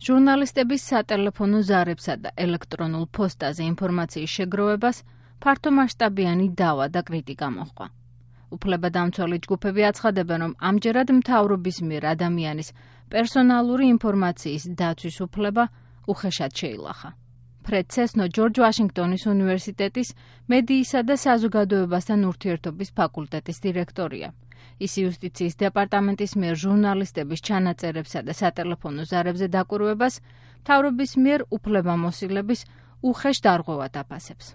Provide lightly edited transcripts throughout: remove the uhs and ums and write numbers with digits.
ჟურნალისტების სატელეფონო ზარებსა და ელექტრონულ ფოსტაზე ინფორმაციის შეგროვებას ფართომასშტაბიანი დავა და კრიტიკა მოჰყვა. უფლებადამცველი ჯგუფები აცხადებენ, რომ ამჯერად მთავრობის მიერ ადამიანის პერსონალური ინფორმაციის დაცვის უფლება უხეშად შეილახა. ფრედ ცესნო ჯორჯ ვაშინგტონის უნივერსიტეტის მედიისა და საზოგადოებასთან ურთიერთობის ფაკულტეტის დირექტორია. ის იუსტიციის დეპარტამენტის მიერ ჟურნალისტების ჩანაწერებსა და სატელეფონო ზარებზე დაკვირვებას მთავრობის მიერ უფლებამოსილების უხეშ დარღვევად აფასებს.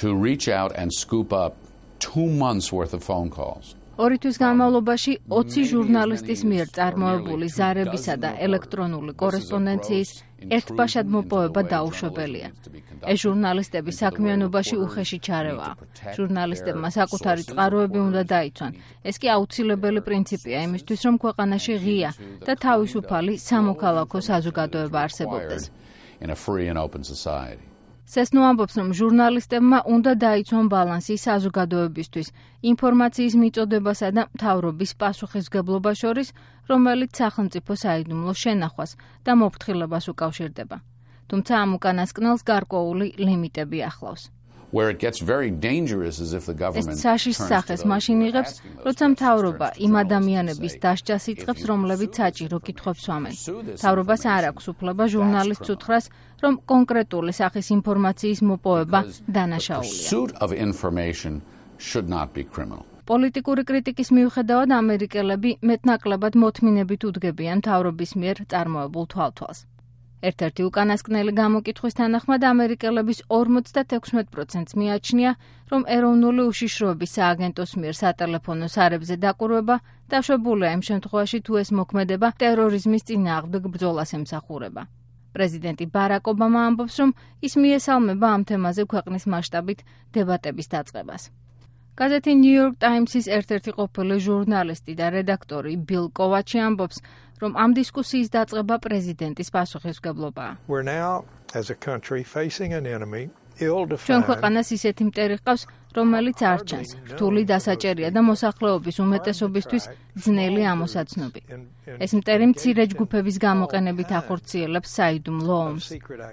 To reach out and scoop up 2 months worth of phone calls. 2 თვის განმავლობაში 20 ჟურნალისტის მიერ წარმოებული ზარებისა და ელექტრონული კორესპონდენციის ერთბაშად მოპოვება დაუშვებელია. ეს ჟურნალისტების საქმიანობაში უხეში ჩარევაა. ჟურნალისტებმა საკუთარი წყაროები უნდა დაიცვან. ეს კი აუცილებელი პრინციპია იმისთვის, რომ ქვეყანაში ღია და თავისუფალი სამოქალაქო საზოგადოება არსებობდეს. In a free and open society. სესნო ამბობს, რომ ჟურნალისტებმა უნდა დაიცვან ბალანსი საზოგადოებისთვის, ინფორმაციის მიწოდებასა და მთავრობის პასუხისმგებლობა შორის, რომელიც სახელმწიფო საიდუმლო შენახვას და მოფრთხილებას უკავშირდება. თუმცა ამ უკანასკნელს გარკვეული ლიმიტები ახლავს. Where it gets very dangerous is if the government ეს საშიშ სახეს მაშინ იღებს, როცა მთავრობა იმ ადამიანების დასჯას იწყებს, რომლებიც საჭირო კითხვებს სვამენ. მთავრობას არ აქვს უფლება ჟურნალისტს უთხრას, რომ კონკრეტული სახის ინფორმაციის მოპოვება დანაშაულია. პოლიტიკური კრიტიკის მიუხედავად ამერიკელები მეტნაკლებად მოთმინებით უდგებიან მთავრობის მიერ წარმოებულ თვალთვალს. ერთ-ერთი უკანასკნელი გამოკითხვის თანახმად ამერიკელების 56%-ს მიაჩნია, რომ ეროვნული უშიშროების სააგენტოს მიერ სატელეფონო ზარებზე დაკვირვება დაშვებულია იმ შემთხვევაში, თუ ეს მოქმედება ტერორიზმის წინააღმდეგ ბრძოლას ემსახურება. პრეზიდენტი ბარაკ ობამა ამბობს, რომ ის მიესალმება ამ თემაზე ქვეყნის მასშტაბით დებატების დაწყებას. გაზეთი New York Times-ის ერთ-ერთი ყოფილი ჟურნალისტი და რედაქტორი ბილ კოვაჩი ამბობს, რომ ამ დისკუსიის დაწყება პრეზიდენტის პასუხისმგებლობაა. ჩვენ ქვეყანას ისეთი მტერი ჰყავს, რომელიც არ ჩანს, რთული დასაჭერია და მოსახლეობის უმეტესობისთვის ძნელი ამოსაცნობი. ეს მტერი მცირე ჯგუფების გამოყენებით ახორციელებს საიდუმლო ომს.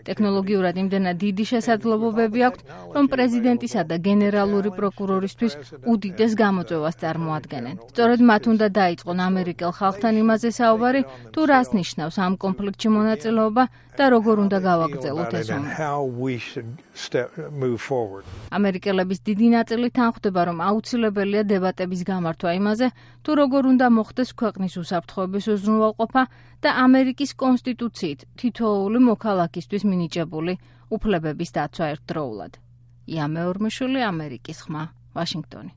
ტექნოლოგიურად იმდენად დიდი შესაძლებლობები აქვთ, რომ პრეზიდენტისა და გენერალური პროკურორისთვის უდიდეს გამოწვევას წარმოადგენენ. სწორედ მათ უნდა დაიწყონ ამერიკელ ხალხთან იმაზე საუბარი, თუ რას ნიშნავს ამ კონფლიქტში მონაწილეობა და როგორ უნდა გავაგრძელოთ ეს ომი. ამერიკელების დიდი ნაწილი თანხმდება, რომ აუცილებელია დებატების გამართვა იმაზე, თუ როგორ უნდა მოხდეს ქვეყნის უსაფრთხოების უზრუნველყოფა და ამერიკის კონსტიტუციით თითოეული მოქალაქისთვის მინიჭებული უფლებების დაცვა ერთდროულად. ია მეორმეშვილი, ამერიკის ხმა, ვაშინგტონი.